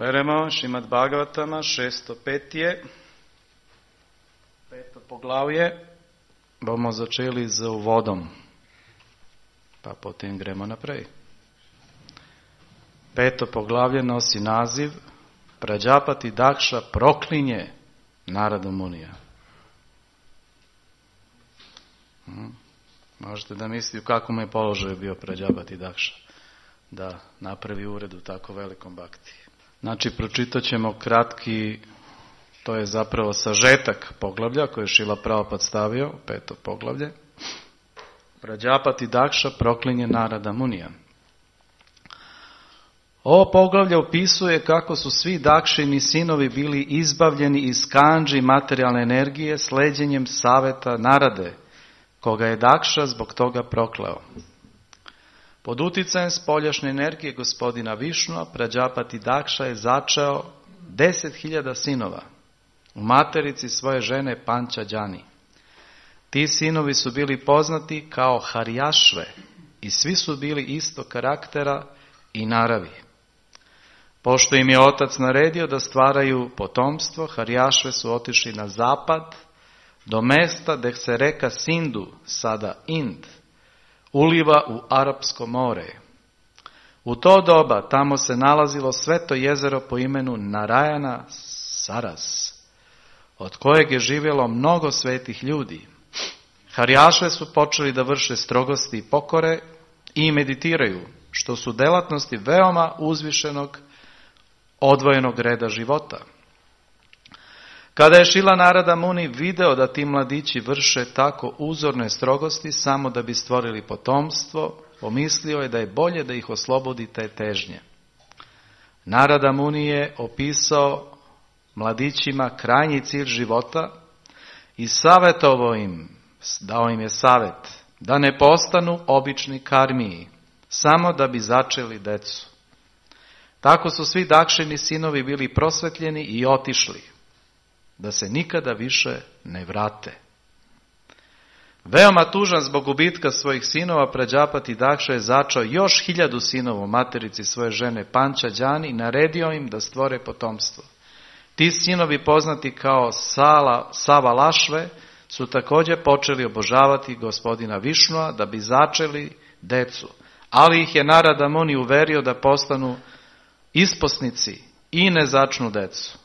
Beremo Šrimad Bhagavatama, 605. 5. poglavje. Bomo začeli z uvodom, pa potem gremo naprej. 5. poglavlje nosi naziv Prađapati Dakša proklinje Narada Munija. Možete da mislite u kakvom je položaju bio Prađapati Dakša da napravi ured u tako velikom bhakti. Znači, pročitat ćemo kratki, to je zapravo sažetak poglavlja koje je Šrila Prabhupada stavio, 5. poglavlje. Prađapati Dakša proklinje Narada Munija. Ovo poglavlje opisuje kako su svi Dakšini sinovi bili izbavljeni iz kandži materijalne energije sleđenjem saveta Narade, koga je Dakša zbog toga prokleo. Pod uticajem spoljašnje energije gospodina Višnua, Prađapati Dakša je začeo 10.000 sinova u materici svoje žene Pančađani. Ti sinovi su bili poznati kao Harjašve i svi su bili isto karaktera i naravi. Pošto im je otac naredio da stvaraju potomstvo, Harjašve su otišli na zapad do mesta gdje se reka Sindu, sada Ind, uliva u Arapsko more. U to doba tamo se nalazilo sveto jezero po imenu Narajana Saras, od kojeg je živjelo mnogo svetih ljudi. Harjašve su počeli da vrše strogosti i pokore i meditiraju, što su delatnosti veoma uzvišenog odvojenog reda života. Kada je Šrila Narada Muni video da ti mladići vrše tako uzorne strogosti samo da bi stvorili potomstvo, pomislio je da je bolje da ih oslobodi te težnje. Narada Muni je opisao mladićima krajnji cilj života i savjetovao im, dao im je savjet da ne postanu obični karmiji, samo da bi začeli decu. Tako su svi Dakšini sinovi bili prosvetljeni i otišli, da se nikada više ne vrate. Veoma tužan zbog gubitka svojih sinova, Prađapati Dakša je začao još 1000 sinova u materici svoje žene Pančađani i naredio im da stvore potomstvo. Ti sinovi, poznati kao Savalašve, su također počeli obožavati gospodina Višnua da bi začeli decu, ali ih je Narada Muni uverio da postanu isposnici i ne začnu decu.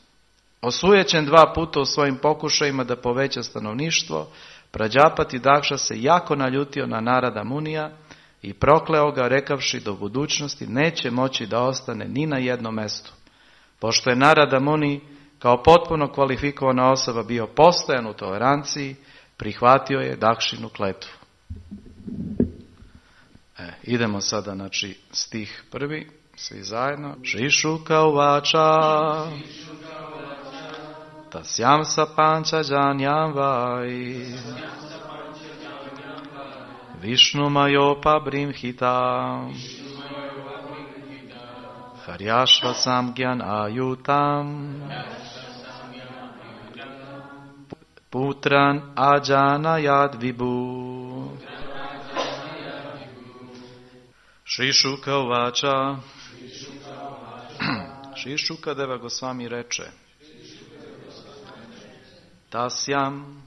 Osujećen 2 puta u svojim pokušajima da poveća stanovništvo, Prađapati Dakša se jako naljutio na Narada Munija i prokleo ga, rekavši da u budućnosti neće moći da ostane ni na jednom mjestu. Pošto je Narada Muni kao potpuno kvalifikovana osoba bio postojan u toleranciji, prihvatio je Dakšinu kletvu. Idemo sada, znači, stih 1, svi zajedno. Šišuka uvača Tasyam sa Pančađanjam vai Višnu majopa brimhitam Harjašva samgyan ajutam Putran ajanayad vibhu. Šišuka uvača. Šišuka Deva Gosvami reče: Tasyam,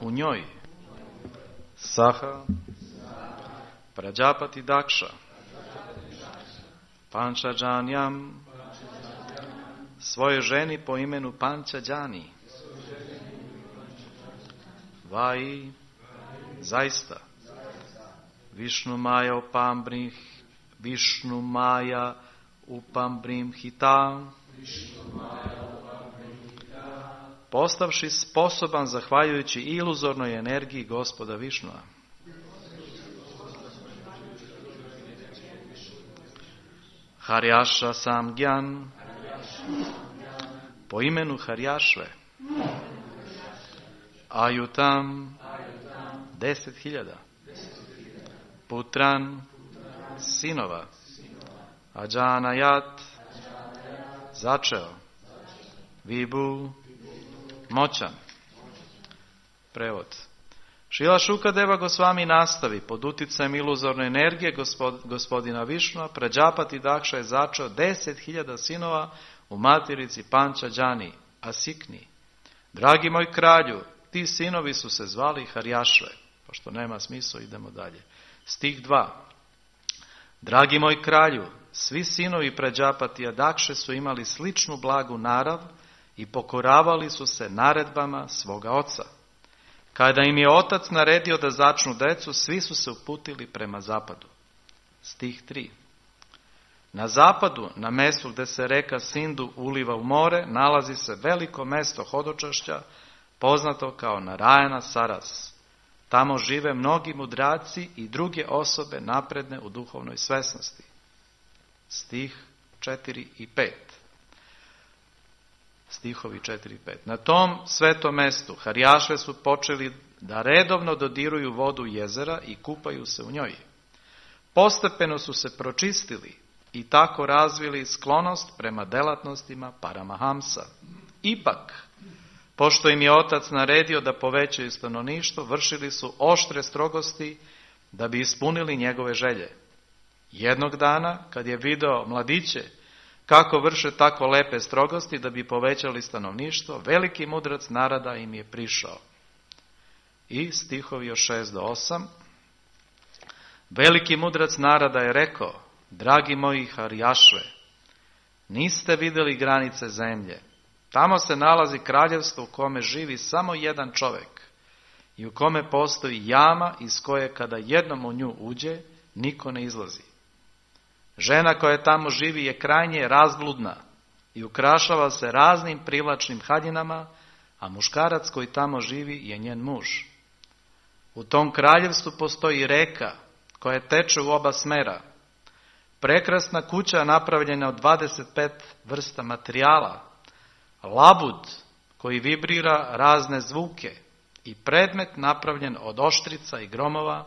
u njoj, Saha, Prađapati Dakša, Pančađanjam, svoje ženi po imenu Pančađani, Vai, zaista, Višnu Maja upambrim hitam, postavši sposoban zahvaljujući iluzornoj energiji gospoda Višnua. Harjaša samgyan, po imenu Harjašve, ajutam, 10.000, putran, sinova, ajanayat, začeo, vibhu, moćan. Prevod. Šrila Šukadeva Gosvami nastavi, pod utjecajem iluzorne energije gospodina Višnua, Prađapati Dakša je začeo 10.000 sinova u materici Pančađani, Asikni. Dragi moj kralju, ti sinovi su se zvali Harjašve. Pošto nema smisla, idemo dalje. Stih 2. Dragi moj kralju, svi sinovi Prađapatija Dakše su imali sličnu blagu narav i pokoravali su se naredbama svoga oca. Kada im je otac naredio da začnu decu, svi su se uputili prema zapadu. Stih 3. Na zapadu, na mjestu gdje se reka Sindu uliva u more, nalazi se veliko mjesto hodočašća, poznato kao Narajana Saras. Tamo žive mnogi mudraci i druge osobe napredne u duhovnoj svesnosti. Stih 4 i 5. Stihovi 4 i 5. Na tom svetom mjestu Harjašve su počeli da redovno dodiruju vodu jezera i kupaju se u njoj. Postepeno su se pročistili i tako razvili sklonost prema delatnostima Paramahamsa. Ipak, pošto im je otac naredio da povećaju stanovništvo, vršili su oštre strogosti da bi ispunili njegove želje. Jednog dana, kad je video mladiće kako vrše tako lepe strogosti da bi povećali stanovništvo, veliki mudrac Narada im je prišao. I stihovi od 6 do 8. Veliki mudrac Narada je rekao, dragi moji Harjašve, niste vidjeli granice zemlje. Tamo se nalazi kraljevstvo u kome živi samo jedan čovjek i u kome postoji jama iz koje kada jednom u nju uđe, niko ne izlazi. Žena koja tamo živi je krajnje razbludna i ukrašava se raznim privlačnim haljinama, a muškarac koji tamo živi je njen muž. U tom kraljevstvu postoji reka koja teče u oba smera. Prekrasna kuća napravljena od 25 vrsta materijala, labud koji vibrira razne zvuke i predmet napravljen od oštrica i gromova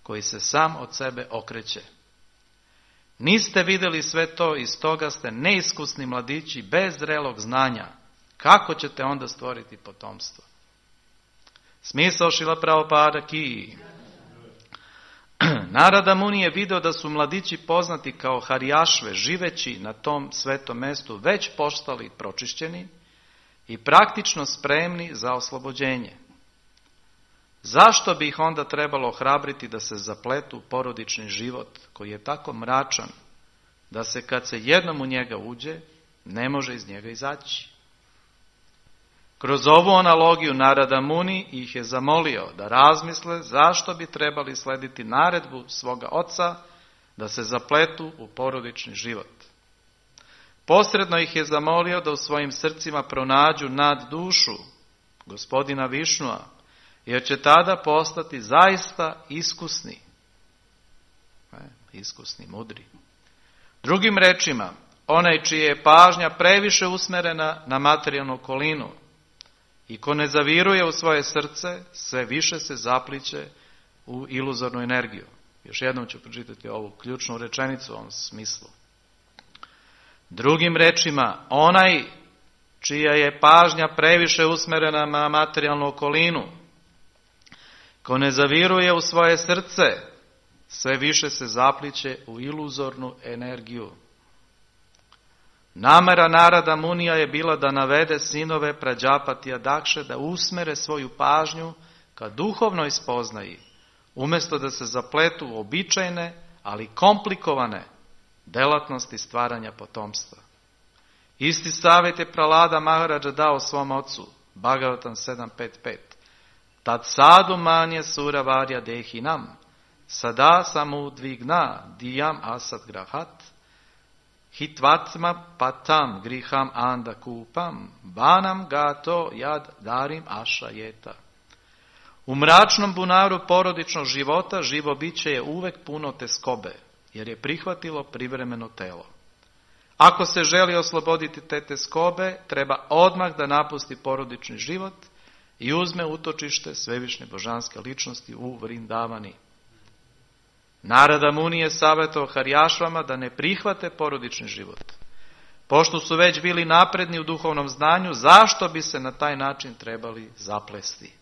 koji se sam od sebe okreće. Niste vidjeli sve to i stoga ste neiskusni mladići bez zrelog znanja. Kako ćete onda stvoriti potomstvo? Smisao Šrila Prabhupada ki. Narada Muni je video da su mladići poznati kao Harjašve, živeći na tom svetom mjestu, već postali pročišćeni i praktično spremni za oslobođenje. Zašto bi ih onda trebalo ohrabriti da se zapletu u porodični život koji je tako mračan da se kad se jednom u njega uđe ne može iz njega izaći? Kroz ovu analogiju Narada Muni ih je zamolio da razmisle zašto bi trebali slediti naredbu svoga oca da se zapletu u porodični život. Posredno ih je zamolio da u svojim srcima pronađu nad dušu gospodina Višnua, jer će tada postati zaista iskusni, mudri. Drugim rečima, onaj čija je pažnja previše usmjerena na materijalnu okolinu i ko ne zaviruje u svoje srce, sve više se zapliće u iluzornu energiju. Još jednom ću pročitati ovu ključnu rečenicu u ovom smislu. Drugim rečima, onaj čija je pažnja previše usmjerena na materijalnu okolinu, ko ne zaviruje u svoje srce, sve više se zapliće u iluzornu energiju. Namera Narada Munija je bila da navede sinove Prađapatija Dakše da usmere svoju pažnju ka duhovnoj spoznaji, umjesto da se zapletu u običajne, ali komplikovane delatnosti stvaranja potomstva. Isti savjet je Pralada Maharađa dao svom ocu, Bhagavatam 7.5.5. Tad sadu manje sura varja dehinam, sada samudvigna dijam asad grahat, hitvatma patam griham anda kupam, banam gato jad darim aša jeta. U mračnom bunaru porodičnog života živo biće je uvek puno teskobe, jer je prihvatilo privremeno telo. Ako se želi osloboditi te teskobe, treba odmah da napusti porodični život i uzme utočište svevišnje božanske ličnosti u Vrindavani. Narada Muni je savjetovao Harjašvama da ne prihvate porodični život. Pošto su već bili napredni u duhovnom znanju, zašto bi se na taj način trebali zaplesti?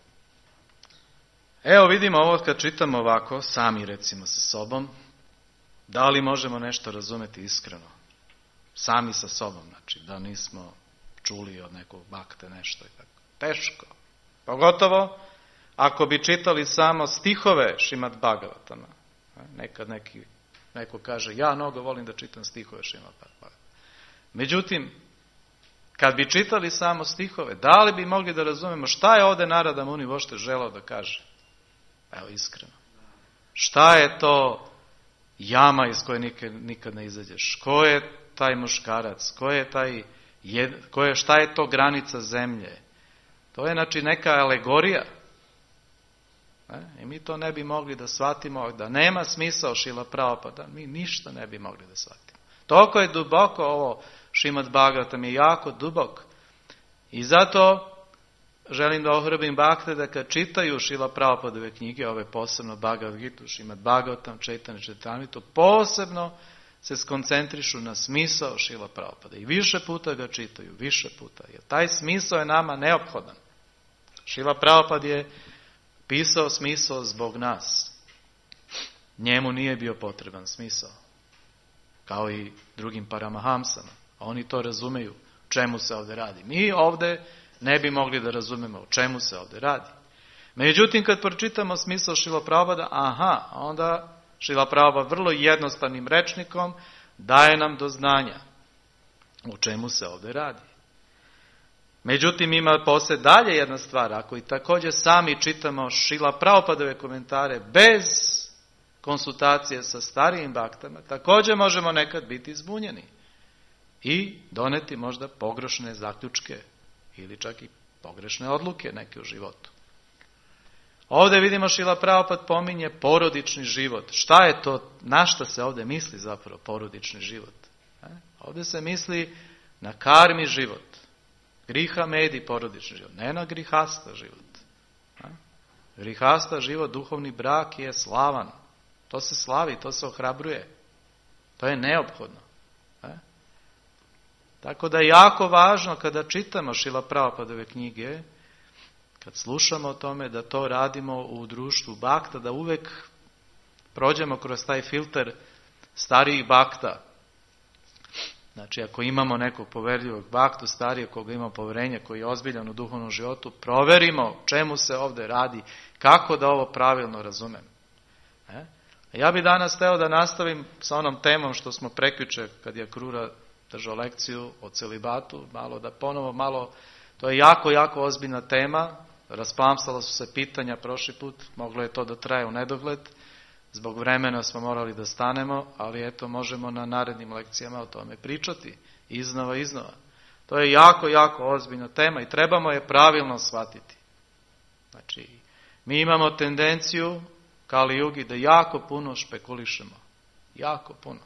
Evo vidimo ovo kad čitamo ovako, sami recimo sa sobom, da li možemo nešto razumjeti iskreno? Sami sa sobom, znači da nismo čuli od nekog bakte nešto i tako. Teško. Pogotovo ako bi čitali samo stihove Šrimad Bhagavatama. Nekad neko kaže, ja mnogo volim da čitam stihove Šrimad Bhagavatama. Međutim, kad bi čitali samo stihove, da li bi mogli da razumemo šta je ovdje Narada Muni uopšte želeo da kaže? Evo iskreno. Šta je to jama iz koje nikad ne izađeš? Ko je taj muškarac? Šta je to granica zemlje? To je znači neka alegorija. I mi to ne bi mogli da shvatimo, da nema smisao Šrila Prabhupada, mi ništa ne bi mogli da shvatimo. Toliko je duboko ovo Šrimad Bhagavatam, je jako dubok. I zato želim da ohrabrim bakte da kad čitaju Šrila Prabhupadove knjige, ove posebno Bhagavad Gitu, Šrimad Bhagavatam, Čaitanya Čaritamritu, posebno se skoncentrišu na smisao Šrila Prabhupada. I više puta ga čitaju, više puta. Jer taj smisao je nama neophodan. Šrila Prabhupada je pisao smisao zbog nas. Njemu nije bio potreban smisao. Kao i drugim paramahamsama. Oni to razumeju čemu se ovdje radi. Mi ovdje ne bi mogli da razumemo o čemu se ovdje radi. Međutim, kad pročitamo smisao Šrila Prabhupada, onda Šrila Prabhupada vrlo jednostavnim rečnikom daje nam do znanja o čemu se ovdje radi. Međutim, ima poslije dalje jedna stvar. Ako i također sami čitamo Šrila Prabhupadove komentare bez konsultacije sa starijim baktama, također možemo nekad biti zbunjeni i doneti možda pogrešne zaključke ili čak i pogrešne odluke neke u životu. Ovdje vidimo Šrila Prabhupada pominje porodični život. Šta je to, na šta se ovdje misli zapravo porodični život? Ovdje se misli na karmi život. Griha medi porodični život, ne na grihasta život. Grihasta život, duhovni brak je slavan. To se slavi, to se ohrabruje. To je neophodno. Tako da je jako važno kada čitamo Šrila Prabhupadove knjige, kad slušamo o tome, da to radimo u društvu bakta, da uvek prođemo kroz taj filter starijih bakta. Znači, ako imamo nekog poverljivog baktu, starijeg koga ima poverenje, koji je ozbiljan u duhovnom životu, proverimo čemu se ovdje radi, kako da ovo pravilno razumem. Ja bih danas hteo da nastavim sa onom temom što smo prekjuče, kad je Krura držao lekciju o celibatu, to je jako, jako ozbiljna tema, rasplamsala su se pitanja prošli put, moglo je to da traje u nedogled, zbog vremena smo morali da stanemo, ali eto možemo na narednim lekcijama o tome pričati, iznova. To je jako, jako ozbiljna tema i trebamo je pravilno shvatiti. Znači, mi imamo tendenciju, Kali Jugi, da jako puno špekulišemo. Jako puno.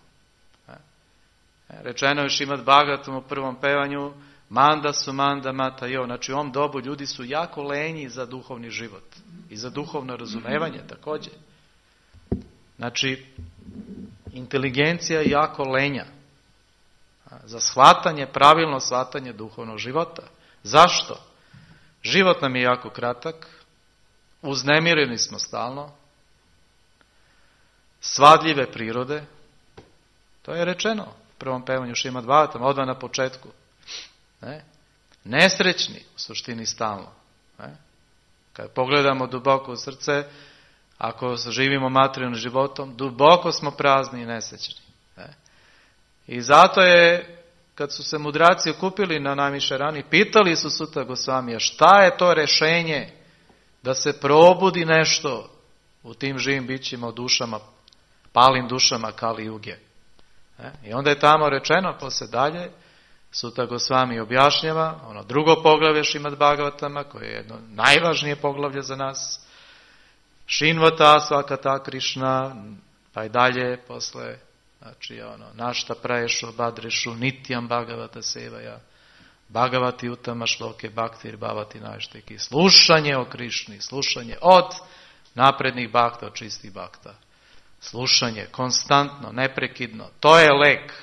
Rečeno je Šrimad Bhagavatam u prvom pevanju, manda su manda mata jo. Znači u ovom dobu ljudi su jako lenji za duhovni život i za duhovno razumevanje također. Znači, inteligencija je jako lenja za shvatanje, pravilno shvatanje duhovnog života. Zašto? Život nam je jako kratak, uznemireni smo stalno, svadljive prirode, to je rečeno u prvom pevanju Šrimad Bhagavatam, odmah na početku. Nesrećni u suštini stalno. Kad pogledamo duboko u srce, ako živimo materijalnim životom, duboko smo prazni i nesrećni. I zato je, kad su se mudraci okupili na Namišarani, pitali su Suta Gosvamija, šta je to rešenje da se probudi nešto u tim živim bićima, u dušama, palim dušama Kali Juge. I onda je tamo rečeno, posle dalje, Suta Gosvami objašnjava, ono drugo poglavlje Šrimad Bhagavatama, koje je jedno najvažnije poglavlje za nas, Šinvata svakata Krišna, pa i dalje posle, znači našta praješu, badrešu, nitjam Bhagavata sevaja, Bhagavati utama šloke, bhaktir bhavati našteki, slušanje o Krišni, slušanje od naprednih bakta, od čistih bakta. Slušanje, konstantno, neprekidno, to je lek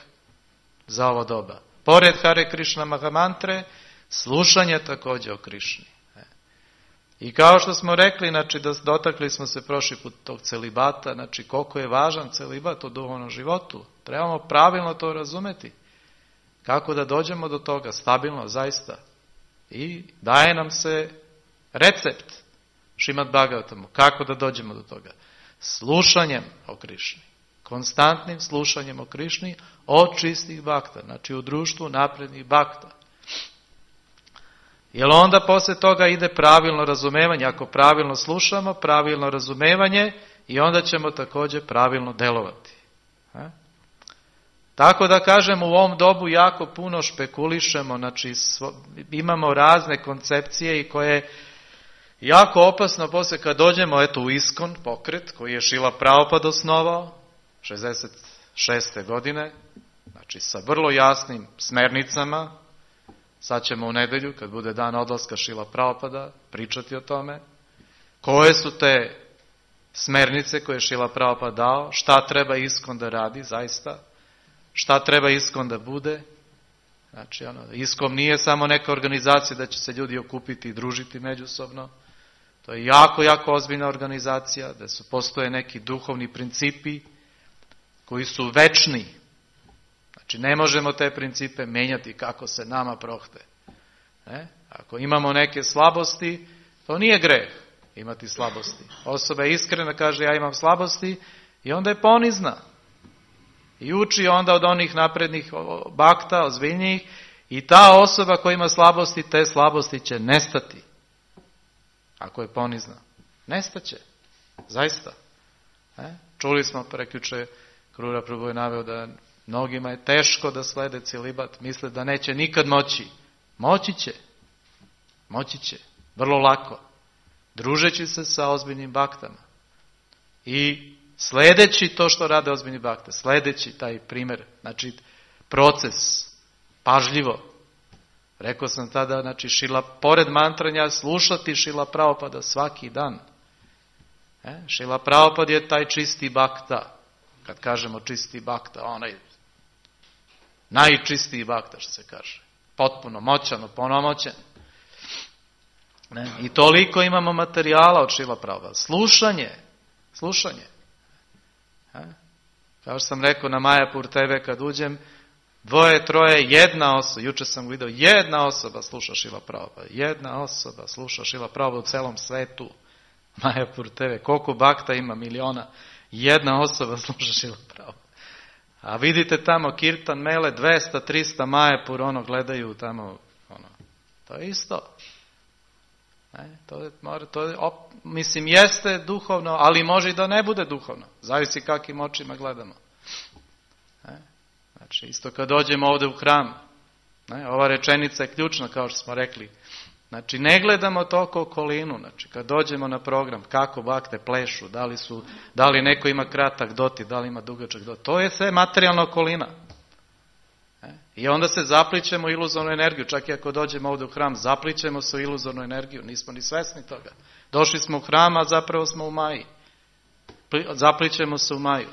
za ovo doba. Pored Hare Krišna Mahamantre, slušanje također o Krišni. I kao što smo rekli, znači dotakli smo se prošli put tog celibata, znači koliko je važan celibat u duhovnom životu. Trebamo pravilno to razumeti. Kako da dođemo do toga, stabilno, zaista. I daje nam se recept Šrimad Bhagavatamu, kako da dođemo do toga. Slušanjem o Krišni, konstantnim slušanjem o Krišni od čistih bakta, znači u društvu naprednih bakta. Jer onda poslije toga ide pravilno razumevanje. Ako pravilno slušamo, pravilno razumevanje i onda ćemo također pravilno delovati. Tako da kažem, u ovom dobu jako puno špekulišemo, znači imamo razne koncepcije i koje je jako opasno poslije kad dođemo u ISKCON pokret koji je Šrila Prabhupada osnovao 66. godine, znači sa vrlo jasnim smernicama. Sad ćemo u nedjelju, kad bude dan odlaska Šrila Prabhupada, pričati o tome. Koje su te smernice koje je Šrila Prabhupada dao, šta treba ISKCON da radi, zaista, šta treba ISKCON da bude. Znači, ISKCON nije samo neka organizacija da će se ljudi okupiti i družiti međusobno. To je jako, jako ozbiljna organizacija, da postoje neki duhovni principi koji su večni. Znači, ne možemo te principe menjati kako se nama prohte. Ako imamo neke slabosti, to nije greh imati slabosti. Osoba je iskrena, kaže ja imam slabosti i onda je ponizna. I uči onda od onih naprednih bakta, ozbiljnijih, i ta osoba koja ima slabosti, te slabosti će nestati. Ako je ponizna. Nestaće. Zaista. Čuli smo prekjuče, Krura Prabhu je naveo da mnogima je teško da slede celibat, misle da neće nikad moći. Moći će. Moći će. Vrlo lako. Družeći se sa ozbiljnim baktama. I sledeći to što rade ozbiljni bakte, sledeći taj primjer, znači proces, pažljivo. Rekao sam tada, znači pored mantranja, slušati Šrila Prabhupada svaki dan. Šrila Prabhupada je taj čisti bakta. Kad kažemo čisti bakta, onaj najčistiji bakta, što se kaže. Potpuno moćan, ponomoćen. I toliko imamo materijala od Šrila Prabhupada. Slušanje. Kao što sam rekao na Majapur TV kad uđem, 2, 3, jedna osoba, juče sam vidio, jedna osoba sluša Šrila Prabhupada. Jedna osoba sluša Šrila Prabhupada u celom svetu. Majapur TV, koliko bakta ima, miliona. Jedna osoba sluša Šrila Prabhupada. A vidite tamo Kirtan Mele, 200, 300 Majapur, gledaju tamo, to je isto. Mislim, jeste duhovno, ali može i da ne bude duhovno. Zavisi kakvim očima gledamo. Znači, isto kad dođemo ovdje u hram, ova rečenica je ključna, kao što smo rekli. Znači, ne gledamo toliko okolinu. Znači, kad dođemo na program, kako bakte plešu, da li neko ima kratak doti, da li ima dugačak doti. To je sve materijalna okolina. I onda se zaplićemo u iluzornu energiju. Čak i ako dođemo ovdje u hram, zaplićemo se u iluzornu energiju. Nismo ni svesni toga. Došli smo u hram, a zapravo smo u maji. Zaplićemo se u maju.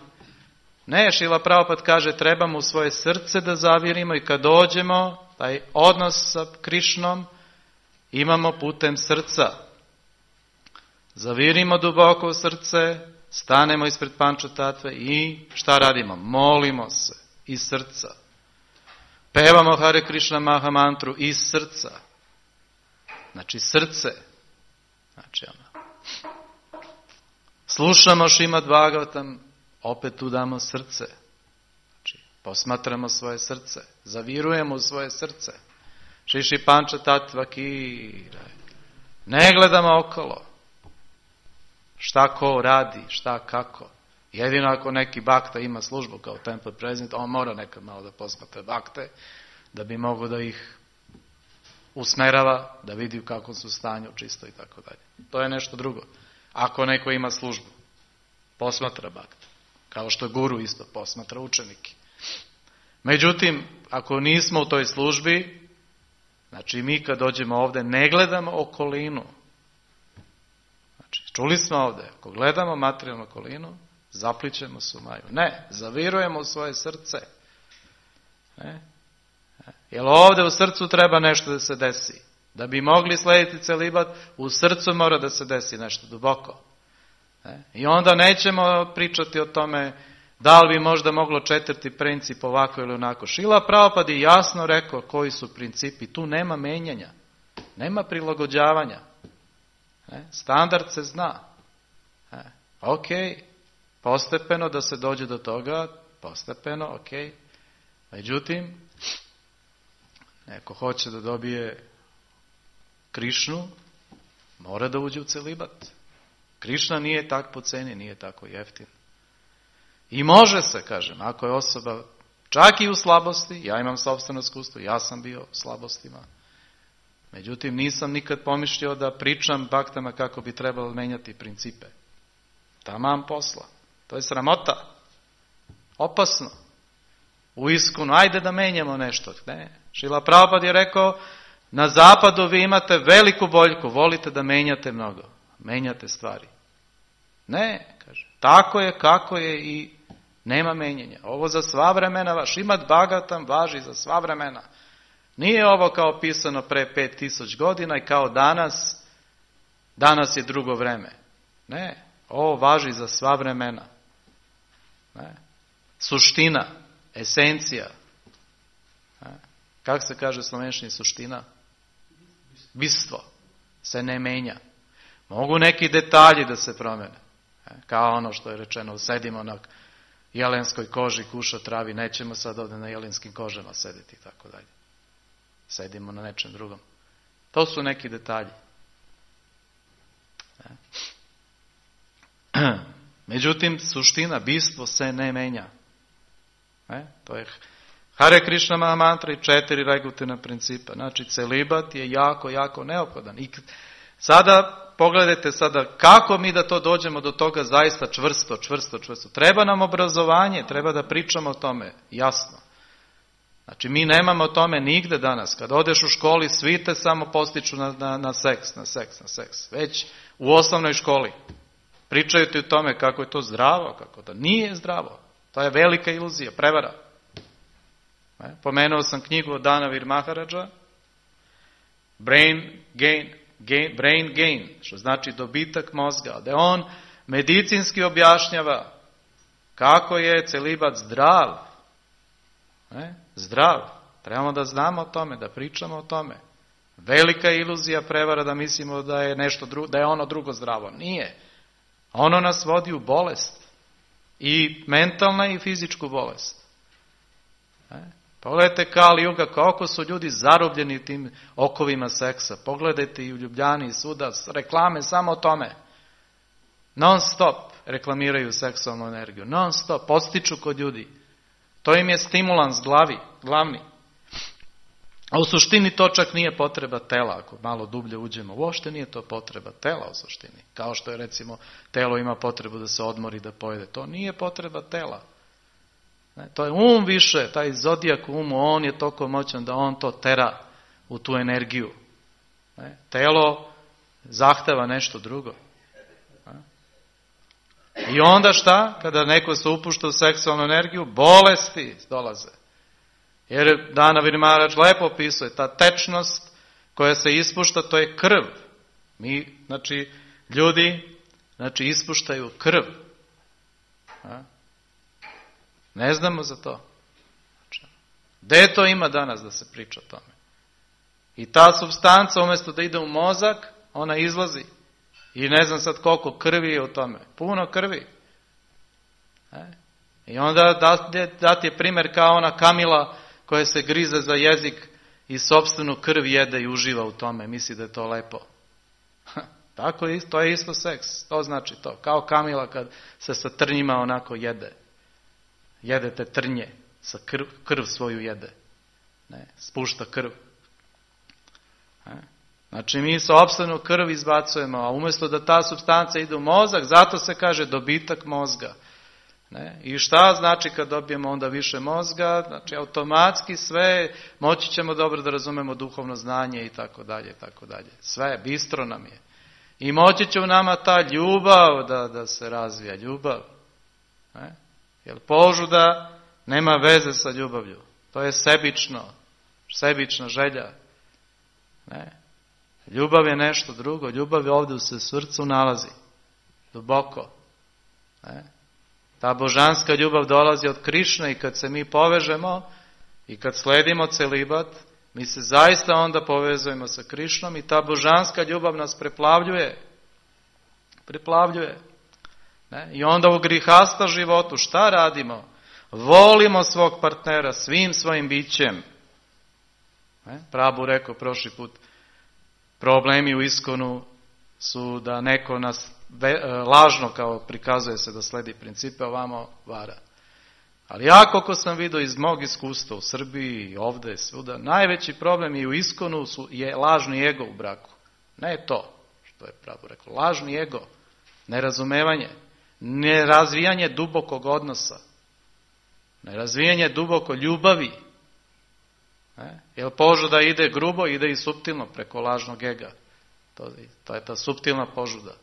Ne, Šrila Prabhupada kaže, trebamo u svoje srce da zavirimo i kad dođemo, taj odnos sa Krišnom imamo putem srca. Zavirimo duboko u srce, stanemo ispred Pančatatve i šta radimo? Molimo se iz srca. Pevamo Hare Krishna Maha mantru iz srca. Znači srce. Znači slušamo Šrimad Bhagavatam, opet tu damo srce. Znači posmatramo svoje srce. Zavirujemo u svoje srce. Šiši Pančatatva Kira. Ne gledamo okolo. Šta ko radi, šta kako. Jedino ako neki bakta ima službu kao temple president, on mora nekad malo da posmatra bakte, da bi mogo da ih usmerava, da vidi u kakvom su stanju, čisto i tako dalje. To je nešto drugo. Ako neko ima službu, posmatra bakte. Kao što guru isto posmatra učenike. Međutim, ako nismo u toj službi, znači mi kad dođemo ovdje ne gledamo okolinu. Znači, čuli smo ovdje, ako gledamo materijalnu okolinu, zaplićemo se u maju. Ne, zavirujemo u svoje srce. Jer ovdje u srcu treba nešto da se desi. Da bi mogli slediti celibat, u srcu mora da se desi nešto duboko. I onda nećemo pričati o tome da li bi možda moglo 4. princip ovako ili onako. Šrila Prabhupada je jasno rekao koji su principi. Tu nema menjanja. Nema prilagođavanja. Standard se zna. Ok, postepeno da se dođe do toga, postepeno, ok. Međutim, neko hoće da dobije Krišnu, mora da uđe u celibat. Krišna nije tak po ceni, nije tako jeftin. I može se, kažem, ako je osoba čak i u slabosti, ja imam sopstveno iskustvo, ja sam bio u slabostima. Međutim, nisam nikad pomišljao da pričam baktama kako bi trebalo menjati principe. Tamam posla. To je sramota. Opasno. U iskunu, ajde da menjamo nešto. Ne. Šrila Prabhupada je rekao, na zapadu vi imate veliku boljku, volite da menjate mnogo. Menjate stvari. Ne, kaže. Tako je, kako je i nema menjanja. Ovo za sva vremena, vaš imat bagatam važi za sva vremena. Nije ovo kao pisano pre 5000 godina i kao danas je drugo vreme. Ne, ovo važi za sva vremena. Ne. Suština, esencija. Ne. Kako se kaže slovenščini suština? Bistvo se ne menja. Mogu neki detalji da se promene. Kao ono što je rečeno, sedimo na jelenskoj koži, kuša travi, nećemo sad ovdje na jelenskim kožama sedeti i tako dalje. Sedimo na nečem drugom. To su neki detalji. Međutim, suština, bistvo se ne menja. To je Hare Krishna Mahamantra i 4 regulativna principa. Znači, celibat je jako, jako neophodan. I sada, pogledajte sada, kako mi da to dođemo do toga zaista čvrsto. Treba nam obrazovanje, treba da pričamo o tome, jasno. Znači, mi nemamo o tome nigde danas. Kad odeš u školi, svi te samo postiču na seks. Već u osnovnoj školi. Pričaju ti o tome kako je to zdravo, kako to nije zdravo. To je velika iluzija, prevara. Pomenuo sam knjigu od Danavir Maharaja, Brain Gain, što znači dobitak mozga, da on medicinski objašnjava kako je celibat zdrav. Zdrav. Trebamo da znamo o tome, da pričamo o tome. Velika iluzija, prevara da mislimo da je nešto drugo, da je ono drugo zdravo. Nije. Ono nas vodi u bolest. I mentalna i fizičku bolest. Pogledajte Kali Juga, koliko su ljudi zarobljeni tim okovima seksa. Pogledajte i u Ljubljani i svuda, reklame samo o tome. Non stop reklamiraju seksualnu energiju. Non stop, postiču kod ljudi. To im je stimulans glavni. A u suštini to čak nije potreba tela, ako malo dublje uđemo. Uopšte nije to potreba tela u suštini. Kao što je recimo telo ima potrebu da se odmori, da pojede. To nije potreba tela. To je više, taj zodijak u umu, on je toliko moćan da on to tera u tu energiju. Telo zahteva nešto drugo. I onda šta? Kada neko se upušta u seksualnu energiju, bolesti dolaze. Jer Danavir Maharaj lepo opisuje, ta tečnost koja se ispušta, to je krv. Ljudi, ispuštaju krv. Ne znamo za to. Gde to ima danas da se priča o tome? I ta supstanca, umjesto da ide u mozak, ona izlazi. I ne znam sad koliko krvi je u tome. Puno krvi. I onda dati je primjer kao ona kamila koja se grize za jezik i sopstvenu krv jede i uživa u tome. Misli da je to lepo. Tako je, to je isto seks. To znači to. Kao kamila kad se sa trnjima onako jede. Jedete trnje. Sa krv svoju jede. Spušta krv. Znači mi sopstvenu krv izbacujemo, a umjesto da ta supstanca ide u mozak, zato se kaže dobitak mozga. I šta znači kad dobijemo onda više mozga? Znači automatski sve, moći ćemo dobro da razumemo duhovno znanje i tako dalje, i tako dalje. Sve, bistro nam je. I moći će u nama ta ljubav da se razvija, ljubav. Jer požuda nema veze sa ljubavlju. To je sebična želja. Ljubav je nešto drugo. Ljubav je ovdje se u srcu nalazi. Duboko. Ta božanska ljubav dolazi od Krišne i kad se mi povežemo i kad sledimo celibat, mi se zaista onda povezujemo sa Krišnom i ta božanska ljubav nas preplavljuje. Preplavljuje. I onda u grihasta životu šta radimo? Volimo svog partnera svim svojim bićem. Prabhu rekao prošli put, problemi u iskonu su da neko nas lažno kao prikazuje se da sledi principe, ovamo vara. Ali ja koliko sam vidio iz mog iskustva u Srbiji i ovdje svuda, najveći problem i u iskonu je lažni ego u braku. Ne to što je Prabhu rekao, lažni ego, nerazumevanje, nerazvijanje dubokog odnosa, nerazvijanje duboko ljubavi. Jer požuda ide grubo, ide i suptilno preko lažnog ega. To je ta suptilna požuda.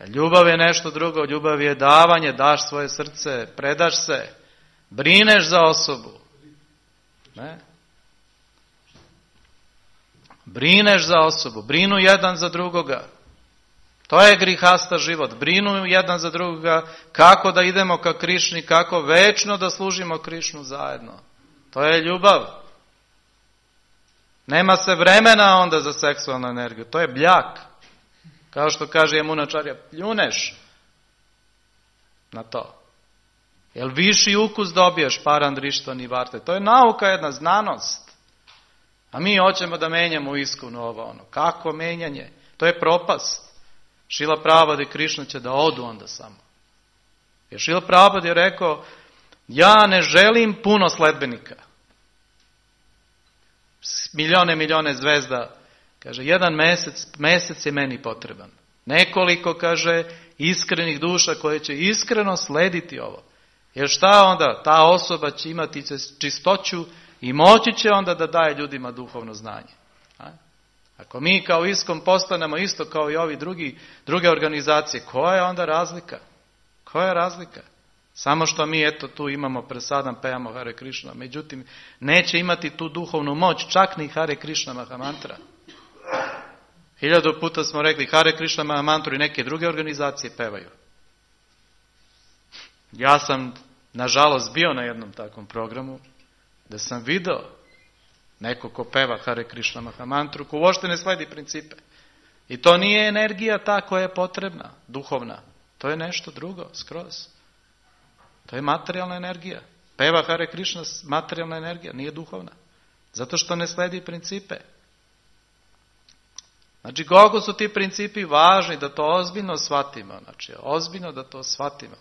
Ljubav je nešto drugo, ljubav je davanje, daš svoje srce, predaš se, brineš za osobu. Brineš za osobu, brinu jedan za drugoga. To je grihasta život, brinu jedan za drugoga, kako da idemo ka Krišni, kako večno da služimo Krišnu zajedno. To je ljubav. Nema se vremena onda za seksualnu energiju, to je bljak. Kao što kaže Jamunačarja, pljuneš na to. Jel viši ukus dobiješ parandrištva ni varte. To je nauka, jedna znanost. A mi hoćemo da menjamo u iskonu ovo ono. Kako menjanje? To je propast. Šrila Prabhupada i Krišna će da odu onda samo. Jer Šrila Prabhupada je rekao, ja ne želim puno sledbenika. Milijone zvezda. Kaže, jedan mesec je meni potreban. Nekoliko, kaže, iskrenih duša koje će iskreno slediti ovo. Jer šta onda? Ta osoba će imati čistoću i moći će onda da daje ljudima duhovno znanje. Ako mi kao ISKCON postanemo isto kao i ovi druge organizacije, koja je onda razlika? Koja je razlika? Samo što mi eto tu imamo presadan, pevamo Hare Krishna, međutim neće imati tu duhovnu moć, čak ni Hare Krishna Mahamantra. 1000 puta smo rekli Hare Krishna Mahamantru i neke druge organizacije pevaju. Ja sam nažalost bio na jednom takvom programu da sam video neko ko peva Hare Krishna Mahamantru, ko uopšte ne sledi principe. I to nije energija ta koja je potrebna, duhovna. To je nešto drugo, skroz. To je materijalna energija. Peva Hare Krishna, materijalna energija, nije duhovna. Zato što ne sledi principe. Znači, koliko su ti principi važni da to ozbiljno shvatimo. Znači, ozbiljno da to shvatimo.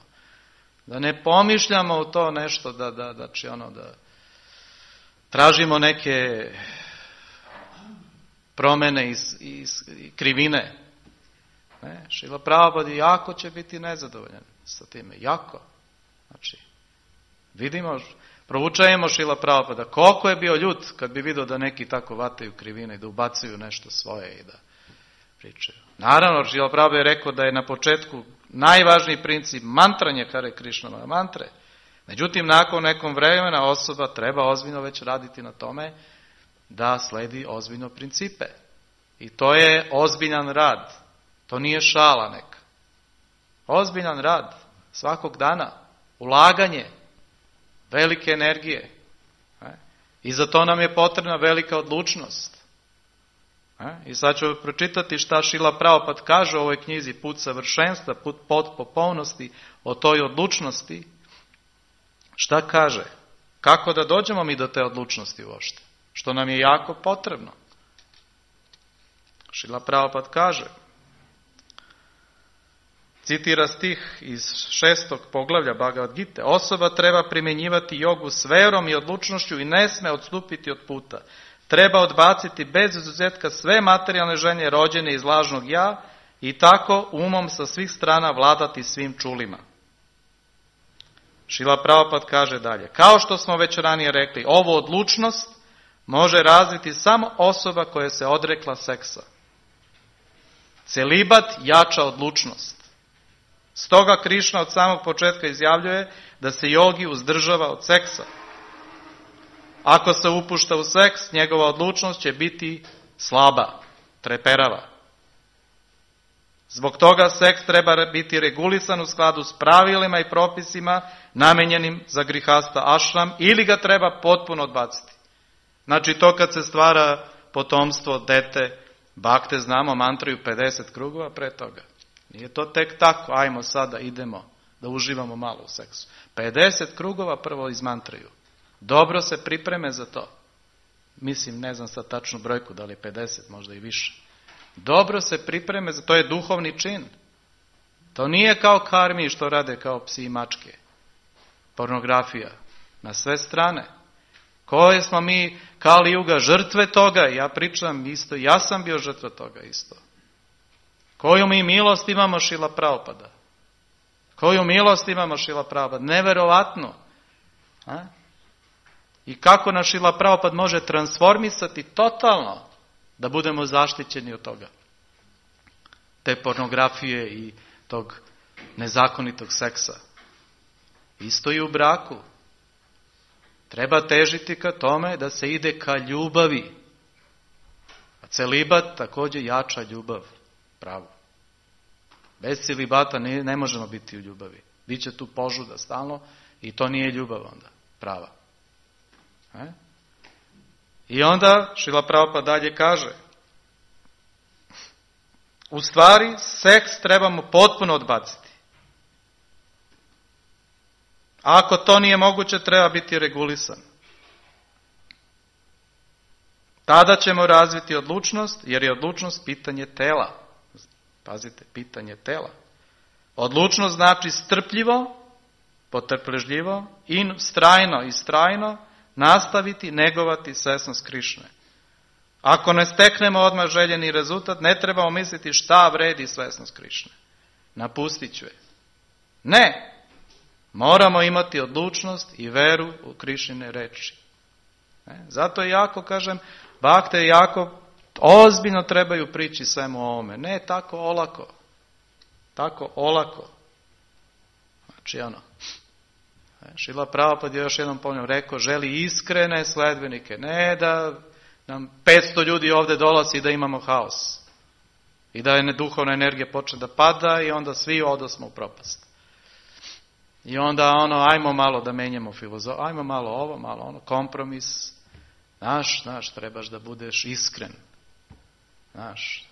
Da ne pomišljamo u to nešto da tražimo neke promjene i krivine. Šrila Prabhupada jako će biti nezadovoljan sa time. Jako. Znači, vidimo, proučajemo Šrila Prabhupada. Koliko je bio ljut kad bi vidio da neki tako vataju krivine i da ubacuju nešto svoje i da pričaju. Naravno, Šrila Prabhupada je rekao da je na početku najvažniji princip mantranje Hare Krišnama mantre. Međutim, nakon nekom vremena osoba treba ozbiljno već raditi na tome da sledi ozbiljno principe. I to je ozbiljan rad. To nije šala neka. Ozbiljan rad svakog dana. Ulaganje velike energije. I za to nam je potrebna velika odlučnost. I sad ću pročitati šta Šrila Prabhupada kaže u ovoj knjizi Put savršenstva, put potpunosti, o toj odlučnosti. Šta kaže? Kako da dođemo mi do te odlučnosti uopšte? Što nam je jako potrebno. Šrila Prabhupada kaže, citira stih iz 6. poglavlja Bhagavad Gite, osoba treba primjenjivati jogu s verom i odlučnošću i ne sme odstupiti od puta. Treba odbaciti bez izuzetka sve materijalne želje rođene iz lažnog ja i tako umom sa svih strana vladati svim čulima. Šrila Prabhupada kaže dalje, kao što smo već ranije rekli, ovu odlučnost može razviti samo osoba koja se odrekla seksa. Celibat jača odlučnost. Stoga Krišna od samog početka izjavljuje da se jogi uzdržava od seksa. ako se upušta u seks, njegova odlučnost će biti slaba, treperava. Zbog toga seks treba biti regulisan u skladu s pravilima i propisima namenjenim za grihasta ašram ili ga treba potpuno odbaciti. Znači to kad se stvara potomstvo, dete, bakte, znamo, mantraju 50 krugova pre toga. Nije to tek tako, ajmo sada idemo da uživamo malo u seksu. 50 krugova prvo izmantraju. Dobro se pripreme za to. Mislim, ne znam sad tačnu brojku, da li je 50, možda i više. Dobro se pripreme za to, je duhovni čin. To nije kao karmi što rade kao psi i mačke. Pornografija. Na sve strane. Koje smo mi, Kali Juga, žrtve toga? Ja pričam isto, ja sam bio žrtva toga isto. Koju mi milost imamo Šrila Prabhupada? Koju milost imamo Šrila Prabhupada? Neverovatno. A? I kako nas Šrila Prabhupada može transformisati totalno da budemo zaštićeni od toga. Te pornografije i tog nezakonitog seksa. Isto i u braku. Treba težiti ka tome da se ide ka ljubavi. A celibat također jača ljubav. Pravo. Bez celibata ne možemo biti u ljubavi. Biće tu požuda stalno i to nije ljubav onda. Prava. I onda Šrila Prabhupada dalje kaže, u stvari seks trebamo potpuno odbaciti. Ako to nije moguće, treba biti regulisan. Tada ćemo razviti odlučnost, jer je odlučnost pitanje tela. Pazite, pitanje tela. Odlučnost znači strpljivo, potrpežljivo i strajno nastaviti negovati svesnost Krišne. Ako ne steknemo odmah željeni rezultat, ne trebamo misliti šta vredi svesnost Krišne. Napustit ću je. Ne! Moramo imati odlučnost i veru u Krišnine reči. Zato jako, kažem, bakte jako ozbiljno trebaju prići svemu ovome. Ne tako olako. Tako olako. Znači Šrila Prabhupada je još jednom ponovno rekao, želi iskrene sledbenike. Ne da nam 500 ljudi ovdje dolazi da imamo haos. I da je duhovna energija počne da pada i onda svi odosmo u propast. I onda ajmo malo da menjamo filozofiju, ajmo malo ovo, malo ono, kompromis. Znaš, trebaš da budeš iskren. Znaš,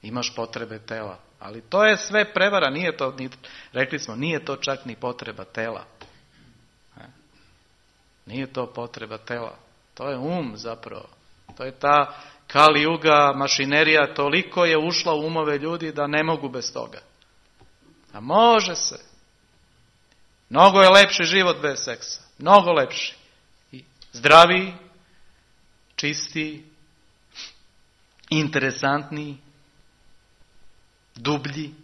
imaš potrebe tela. Ali to je sve prevara, nije to, rekli smo, nije to čak ni potreba tela. Nije to potreba tela. To je zapravo. To je ta Kali Juga mašinerija, toliko je ušla u umove ljudi da ne mogu bez toga. A može se. Mnogo je lepši život bez seksa. Mnogo lepši. I zdraviji, čistiji, interesantniji, dublji.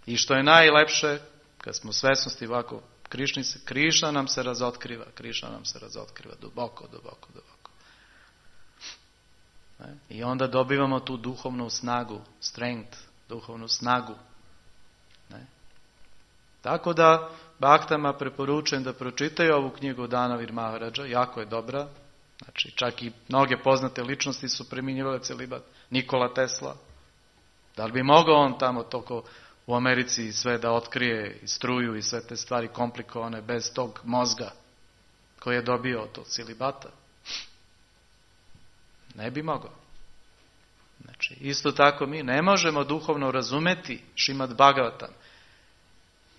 I što je najlepše, kad smo svesnosti ovako, Krišna nam se razotkriva. Krišna nam se razotkriva duboko. I onda dobivamo tu duhovnu snagu, strength, duhovnu snagu. Tako da baktama preporučujem da pročitaju ovu knjigu Danavir Maharadža, jako je dobra. Znači, čak i mnoge poznate ličnosti su primjenjivale celibat. Nikola Tesla. Da li bi mogao on tamo toliko u Americi sve da otkrije i struju i sve te stvari komplikovane bez tog mozga koji je dobio od tog celibata? Ne bi mogao. Znači, isto tako mi ne možemo duhovno razumeti Šrimad Bhagavatam.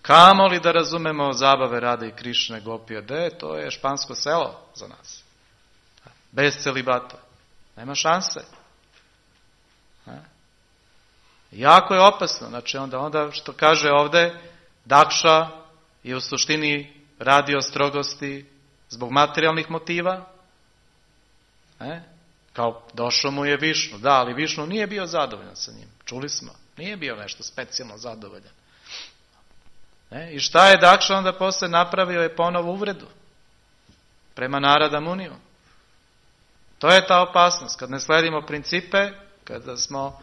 Kamo li da razumemo zabave Rade i Krišne Gopije? To je špansko selo za nas. Bez celibata. Nema šanse. Jako je opasno. Znači onda što kaže ovdje, Dakša je u suštini radio strogosti zbog materijalnih motiva. Kao došao mu je Višnu. Da, ali Višnu nije bio zadovoljan sa njim. Čuli smo. Nije bio nešto specijalno zadovoljan. I šta je Dakša onda posle napravio? Je ponovo uvredu prema Narada Muniju. To je ta opasnost. Kad ne sledimo principe, kada smo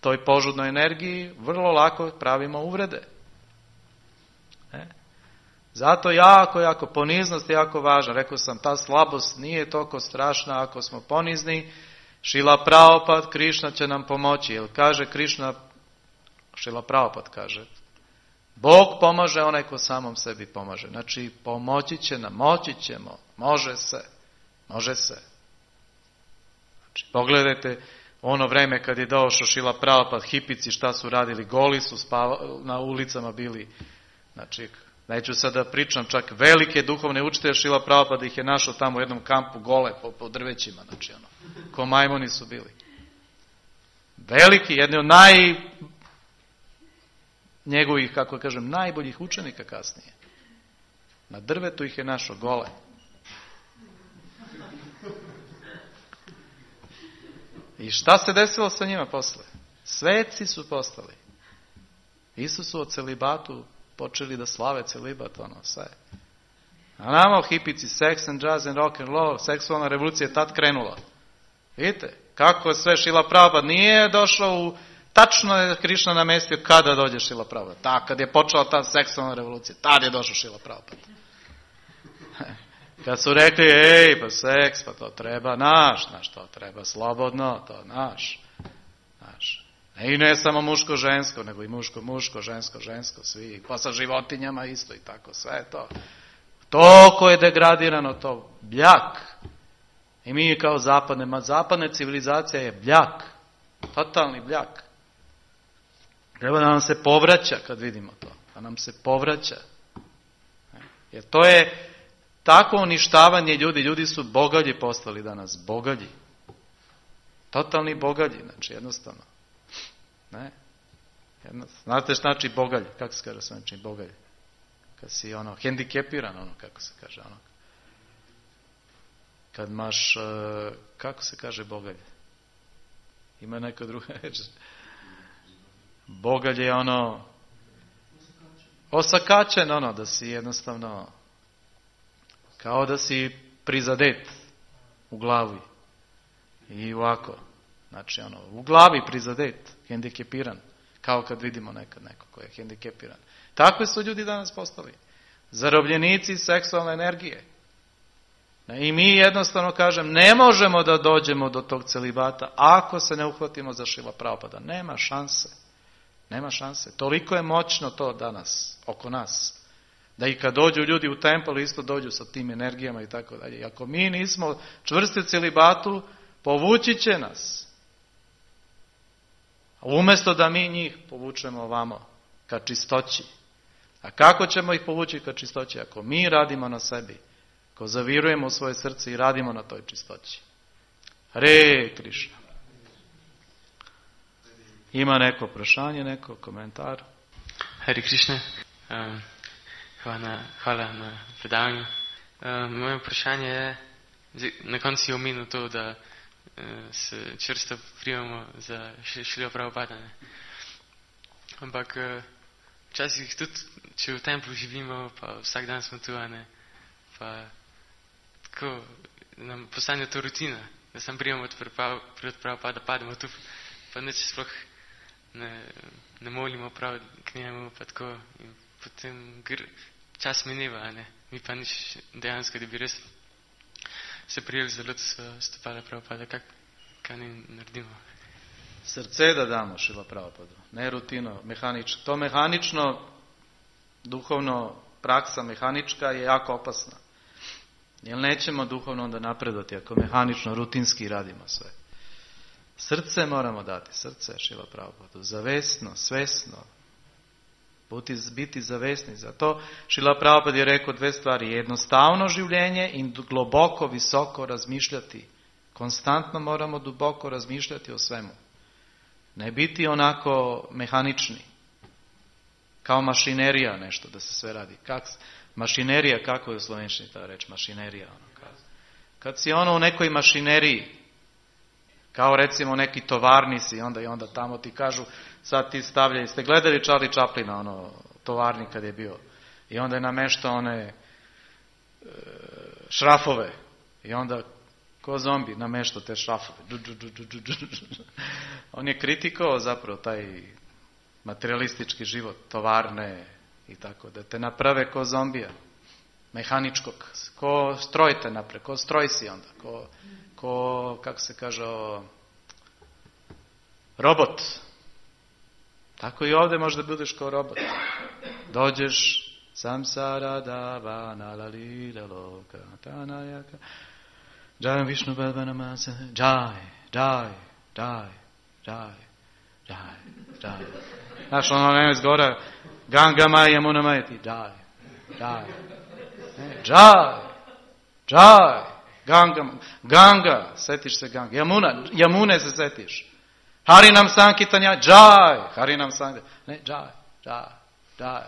toj požudnoj energiji, vrlo lako pravimo uvrede. Zato jako poniznost je jako važna. Rekao sam, ta slabost nije toliko strašna ako smo ponizni. Šrila Prabhupada, Krišna će nam pomoći. Jer kaže Krišna, Šrila Prabhupada kaže, Bog pomaže onaj ko samom sebi pomaže. Znači, pomoći će nam, moći ćemo, može se. Znači, pogledajte ono vreme kad je došao Šrila Prabhupada, hipici šta su radili, goli su na ulicama bili. Znači, neću sad da pričam, čak velike duhovne učitelje Šrila Prabhupada ih je našao tamo u jednom kampu gole po drvećima, znači ko majmoni su bili. Veliki, jedni od njegovih, kako kažem, najboljih učenika kasnije. Na drvetu ih je našao gole. I šta se desilo sa njima posle? Sveci su postali. Isusu o celibatu počeli da slave celibat, sve. A nama hipici, sex and jazz and rock and roll, seksualna revolucija je tad krenula. Vidite, kako je sve Šrila Prabhupada nije došao tačno je Krišna namestio kada dođe Šrila Prabhupada. Kad je počela ta seksualna revolucija, tad je došao Šrila Prabhupada. Kad su rekli, pa seks, pa to treba naš, to treba slobodno, to naš. I ne samo muško-žensko, nego i muško-muško, žensko-žensko, svi, pa sa životinjama isto i tako, sve to. To koje je degradirano, to bljak. I mi kao zapadna civilizacija je bljak, totalni bljak. Treba da nam se povraća kad vidimo to, da nam se povraća. Jer to je tako uništavanje ljudi su bogalji postali danas, bogalji. Totalni bogalji, znači jednostavno. Ne? Znate šta znači bogalj? Kako se kaže znači bogalj? Kad si hendikepiran, kako se kaže, kad imaš, kako se kaže bogalj? Ima neka druga reč. Bogalj je osakačen, da si jednostavno, kao da si prizadet u glavi. I ovako. Znači, u glavi prizadet, hendikepiran. Kao kad vidimo nekad neko ko je hendikepiran. Takvi su ljudi danas postali. Zarobljenici seksualne energije. I mi jednostavno kažem, ne možemo da dođemo do tog celibata ako se ne uhvatimo za Šrila Prabhupada. Nema šanse. Nema šanse. Toliko je moćno to danas, oko nas. Da i kad dođu ljudi u tempel, isto dođu sa tim energijama i tako dalje. I ako mi nismo čvrsti u celibatu, povući će nas. Umjesto da mi njih povučemo ovamo, ka čistoći. A kako ćemo ih povući ka čistoći? Ako mi radimo na sebi, ako zavirujemo u svoje srce i radimo na toj čistoći. Hare Krišna. Ima neko vprašanje, neko komentar? Hare Krišna. Hvala na predavanju. Moje vprašanje je, na koncu si omenil to, da se čvrsto prijemamo za Šrila Prabhupada. Ampak včasih tudi, če v templu živimo, pa vsak dan smo tu, pa tako nam postane to rutina, da sam prijemamo od Prabhupada, pademo tu, pa neč sploh ne molimo prav k njemu, pa tako, in potem čas mineva, mi pa nič dejansko, da bi res se prijeli za lotus stopala Prabhupada, kaj ne naredimo? Srce da damo Šrila Prabhupadu, ne rutino, mehanično. To mehanično, duhovno praksa mehanička je jako opasna. Jer nećemo duhovno onda napredati ako mehanično, rutinski radimo sve. Srce moramo dati, srce Šrila Prabhupadu, zavesno, svesno, biti zavesni. Zato Šrila Prabhupada je rekao dve stvari, jednostavno življenje i globoko, visoko razmišljati. Konstantno moramo duboko razmišljati o svemu. Ne biti onako mehanični. Kao mašinerija nešto da se sve radi. Mašinerija, kako je u slovenščini ta reč? Mašinerija. Kad si u nekoj mašineriji, kao recimo neki tovarni si, onda tamo ti kažu, sad ti stavljaju, ste gledali Charlie Chaplina, tovarni kad je bio, i onda je nameštao one šrafove, i onda ko zombi nameštao te šrafove. On je kritikovao zapravo taj materialistički život, tovarne I tako, da te naprave ko zombija, mehaničkog, ko stroj te naprave, ko stroj si onda, ko kako se kaže, robot. Tako i ovdje možda budeš kao robot. Dođeš, samsara dava nalalira loka tanayaka, jai Vishnu Bhavanamasa, jai. Znaš, ono nema izgora, Ganga Maja Yamuna Maja ti, jai, Ganga, setiš se Ganga, Yamune se setiš. Harinam Sankitanja, jai, Harinam Sankitanja, ne, jai.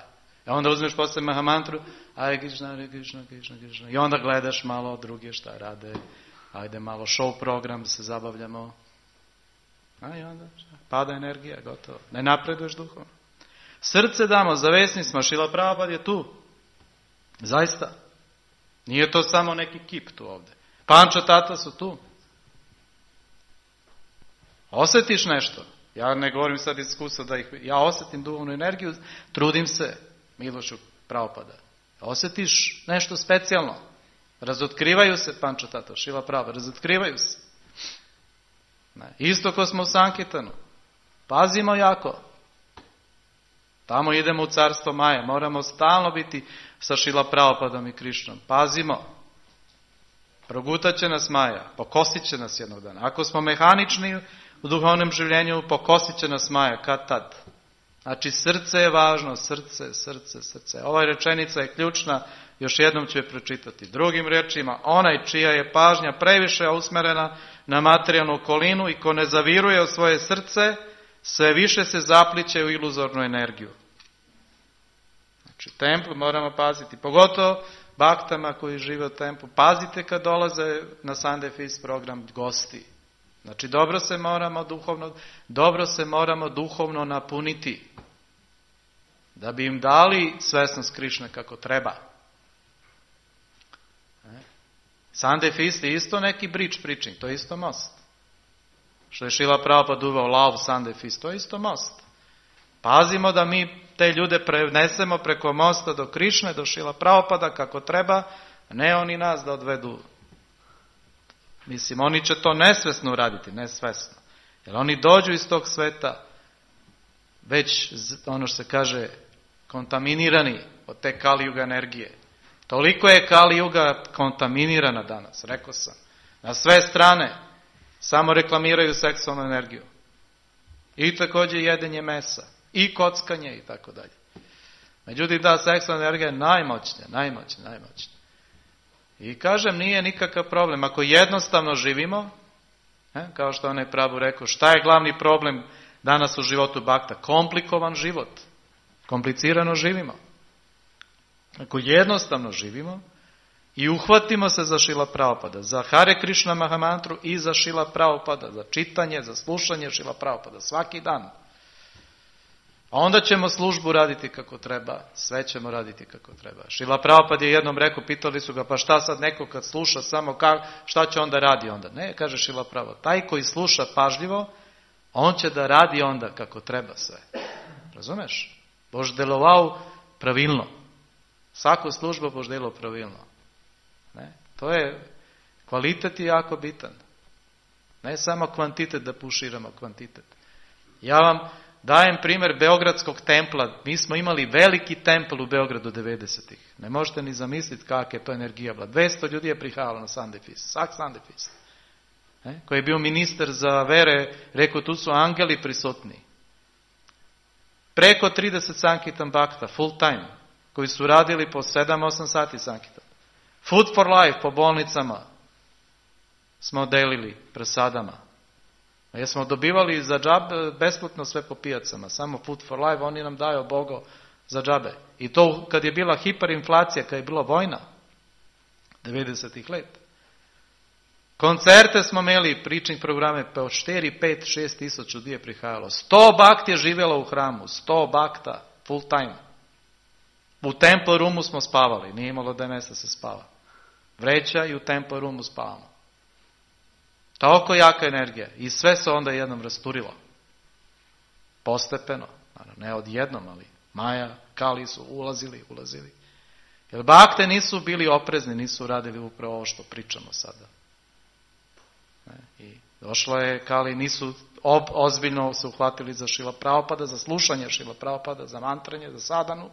I onda uzmeš posle Mahamantru, aj Krishna, Krishna. I onda gledaš malo druge šta rade, ajde malo show program, se zabavljamo. A i onda pada energija, gotovo. Ne napreduješ duhovno. Srce damo, zavesni smo, Šrila Prabhupada je tu. Zaista. Nije to samo neki kip tu ovdje. Panča tata su tu. Osjetiš nešto. Ja ne govorim sad iz iskustva da ja osjetim duhovnu energiju, trudim se milošću Prabhupada. Osjetiš nešto specijalno. Razotkrivaju se, Panča tata, Šrila Prabhupada, razotkrivaju se. Ne. Isto ko smo u Sankitanu. Pazimo jako. Tamo idemo u carstvo Maje. Moramo stalno biti sa Šrila Prabhupadom i Krišnom. Pazimo. Progutat će nas Maja. Pokosit će nas jednog dana. Ako smo mehanični u duhovnom življenju, pokosit će nas Maja. Kad tad? Znači srce je važno. Srce. Ova rečenica je ključna. Još jednom ću je pročitati. Drugim riječima, onaj čija je pažnja previše usmjerena na materijalnu okolinu i ko ne zaviruje u svoje srce, sve više se zapliće u iluzornu energiju. Znači, templu moramo paziti. Pogotovo baktama koji žive u templu. Pazite kad dolaze na Sunday Feast program gosti. Znači, dobro se moramo duhovno napuniti. Da bi im dali svesnost Krišne kako treba. Sunday Feast je isto neki bridge preaching, to je isto most. Što je Šrila Prabhupada uveo Love Sunday Feast, to je isto most. Pazimo da mi te ljude prenesemo preko mosta do Krišne, do Šrila Prabhupada kako treba, ne oni nas da odvedu. Mislim, oni će to nesvesno uraditi, nesvesno. Jer oni dođu iz tog sveta već, ono što se kaže, kontaminirani od te Kali Yuga energije. Toliko je Kali Yuga kontaminirana danas, rekao sam. Na sve strane samo reklamiraju seksualnu energiju. I također jedenje mesa. I kockanje i tako dalje. Međutim, ta seksualna energija je najmoćnija. I kažem, nije nikakav problem. Ako jednostavno živimo, kao što onaj Prabhu rekao, šta je glavni problem danas u životu bakta? Komplikovan život. Komplicirano živimo. Ako jednostavno živimo i uhvatimo se za Šrila Prabhupada, za Hare Krishna Mahamantru i za Šrila Prabhupada, za čitanje, za slušanje Šrila Prabhupada svaki dan, onda ćemo službu raditi kako treba, sve ćemo raditi kako treba. Šrila Prabhupada je jednom rekao, pitali su ga, pa šta sad neko kad sluša samo, šta će onda radi onda? Ne, kaže Šrila Prabhupada, taj koji sluša pažljivo, on će da radi onda kako treba sve. Razumeš? Bož delovao pravilno. Svaku službu boš delo pravilno. Ne? To je, kvalitet je jako bitan. Ne samo kvantitet da puširamo kvantitet. Ja vam dajem primjer Beogradskog templa. Mi smo imali veliki templ u Beogradu 90-ih. Ne možete ni zamisliti kakva je to energija bila. 200 ljudi je prihajalo na Sunday Feast. Svak Sunday Feast. Koji je bio ministar za vere, rekao tu su angeli prisutni. Preko 30 Sankitan Bhakta, full time, koji su radili po 7-8 sati Sankitan. Food for life po bolnicama smo delili prasadama. Jer smo dobivali za džabe besplatno sve po pijacama. Samo Food for life, oni nam daju Bogo za džabe. I to kad je bila hiperinflacija, kad je bila vojna, 90-ih let. Koncerte smo imeli, preaching programe, pa od 4, 5, 6 tisuća ljudi je prihajalo. 100 bakti je živjelo u hramu, 100 bakta, full time. U Temple Roomu smo spavali, nije imalo da mjesta se spava. Vreća i u Temple Roomu spavamo. Toliko jaka energija. I sve se onda jednom rasturilo. Postepeno. Ne odjednom, ali Maja, Kali su ulazili. Jer bakte nisu bili oprezni, nisu radili upravo ovo što pričamo sada. I došla je Kali, nisu ozbiljno se uhvatili za Šrila Prabhupada, za slušanje Šrila Prabhupada, za mantranje, za sadhanu.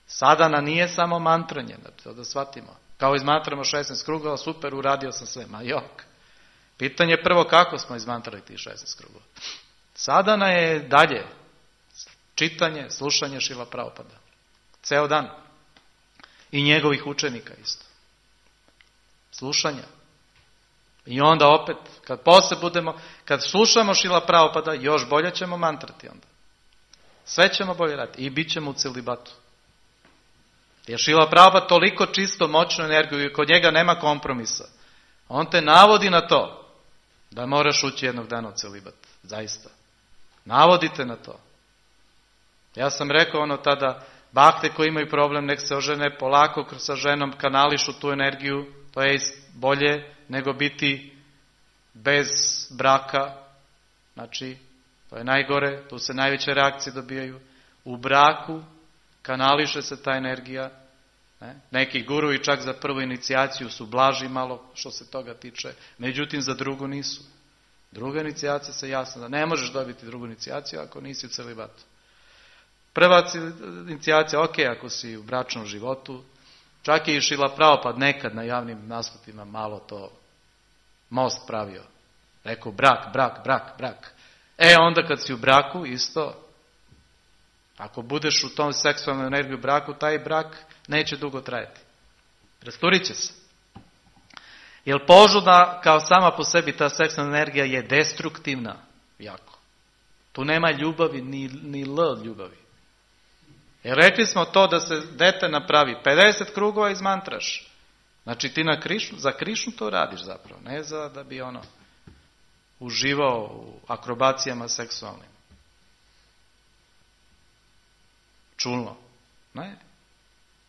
Sadhana nije samo mantranje, da shvatimo. Kao izmantramo 16 krugova, super, uradio sam sve, ma jok. Pitanje je prvo kako smo izmantrali tih 16 krugova. Sadhana je dalje, čitanje, slušanje Šrila Prabhupada. Ceo dan. I njegovih učenika isto. Slušanja. I onda opet, kad slušamo Šrila Prabhupada, još bolje ćemo mantrati onda. Sve ćemo bolje raditi. I bit ćemo u celibatu. Jer Šrila Prabhupada toliko čisto, moćnu energiju i kod njega nema kompromisa. On te navodi na to da moraš ući jednog dana u celibat. Zaista. Navodite na to. Ja sam rekao tada, bakte koji imaju problem, nek se ožene polako sa ženom, kanališu tu energiju, to je bolje nego biti bez braka. Znači, to je najgore, tu se najveće reakcije dobijaju. U braku kanališe se ta energija. Neki guruji čak za prvu inicijaciju su blaži malo što se toga tiče, međutim za drugu nisu. Druga inicijacija se jasno da ne možeš dobiti drugu inicijaciju ako nisi u celibatu. Prva inicijacija, ok, ako si u bračnom životu, čak je i Šrila Prabhupada nekad na javnim nastupima malo to most pravio. Rekao brak. Onda kad si u braku isto, ako budeš u tom seksualnom energiju braku, taj brak neće dugo trajati. Rasturit će se. Jer požuda kao sama po sebi ta seksualna energija je destruktivna jako. Tu nema ljubavi, ni ljubavi. Jer rekli smo to da se dete napravi 50 krugova izmantraš. Znači ti za Krišnu to radiš zapravo. Ne za da bi uživao u akrobacijama seksualnim. Čulno. Ne.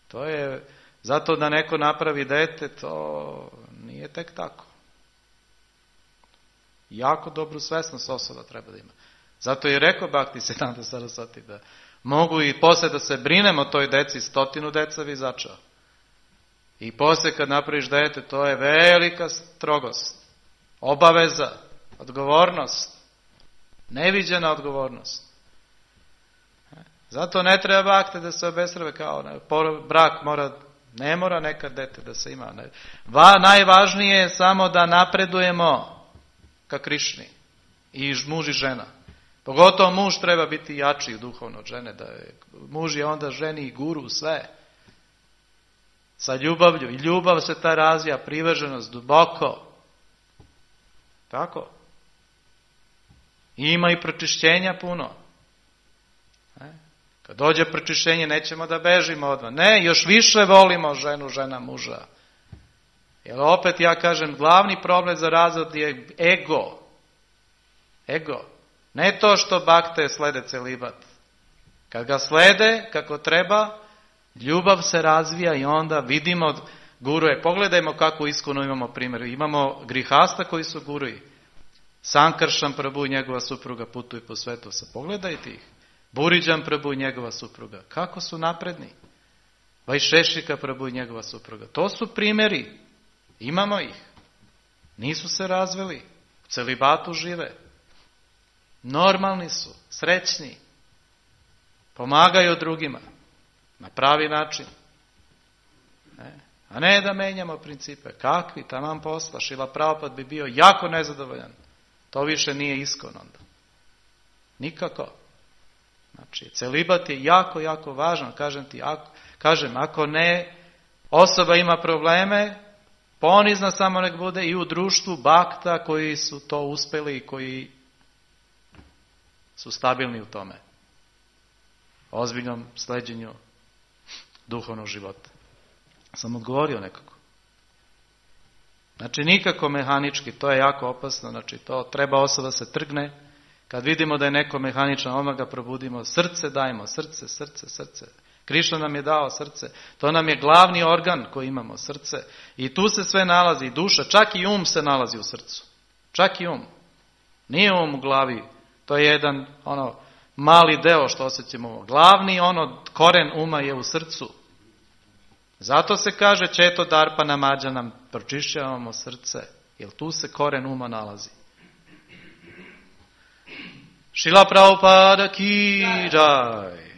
To je, zato da neko napravi dete, to nije tek tako. Jako dobru svesnost osoba treba da ima. Zato je rekao Bhaktisiddhanta Sarasvati da mogu i poslije da se brinemo o toj deci, 100 deca bi začao. I poslije kad napraviš dete, to je velika strogost, obaveza, odgovornost, neviđena odgovornost. Zato ne treba bakte da se obesrave kao brak ne mora nekad dete da se ima. Najvažnije je samo da napredujemo ka Krišni. I muž i žena. Pogotovo muž treba biti jači duhovno od žene. Muž je onda ženi i guru sve. Sa ljubavlju. I ljubav se ta razvija, privrženost duboko. Tako. I ima i pročišćenja puno. Kad dođe pročišćenje, nećemo da bežimo odmah. Ne, još više volimo ženu, žena muža. Jer opet ja kažem, glavni problem za razvod je ego. Ego. Ne to što bakte slede celibat. Kad ga slede kako treba, ljubav se razvija i onda vidimo guruje. Pogledajmo kako iskreno imamo primjer. Imamo grihasta koji su guruji. Sankaršan Prabhu i njegova supruga putuju po svetu. Pogledajte ih. Buriđan Prabhu i njegova supruga. Kako su napredni? Vajšešika Prabhu i njegova supruga. To su primjeri. Imamo ih. Nisu se razveli. U celibatu žive. Normalni su. Srećni. Pomagaju drugima. Na pravi način. A ne da menjamo principe. Kakvi? Taman posla. Šrila Prabhupada bi bio jako nezadovoljan. To više nije iskon onda. Nikako. Znači, celibat je jako, jako važan. Kažem, ako ne, osoba ima probleme, ponizna samo nek bude i u društvu bakta koji su to uspjeli i koji su stabilni u tome. Ozbiljnom sleđenju duhovnog života. Sam odgovorio nekako. Znači, nikako mehanički, to je jako opasno. Znači, to treba osoba se trgne. Kad vidimo da je neko mehaničan, odmah ga probudimo. Srce dajmo, srce. Krišna nam je dao srce. To nam je glavni organ koji imamo, srce. I tu se sve nalazi, i duša, čak i um se nalazi u srcu. Čak i um. Nije um u glavi. To je jedan, mali deo što osjećamo. Glavni koren uma je u srcu. Zato se kaže Četo Darpana Mađanam, pročišćavamo srce, jer tu se koren uma nalazi. Šrila Prabhupada ki jai.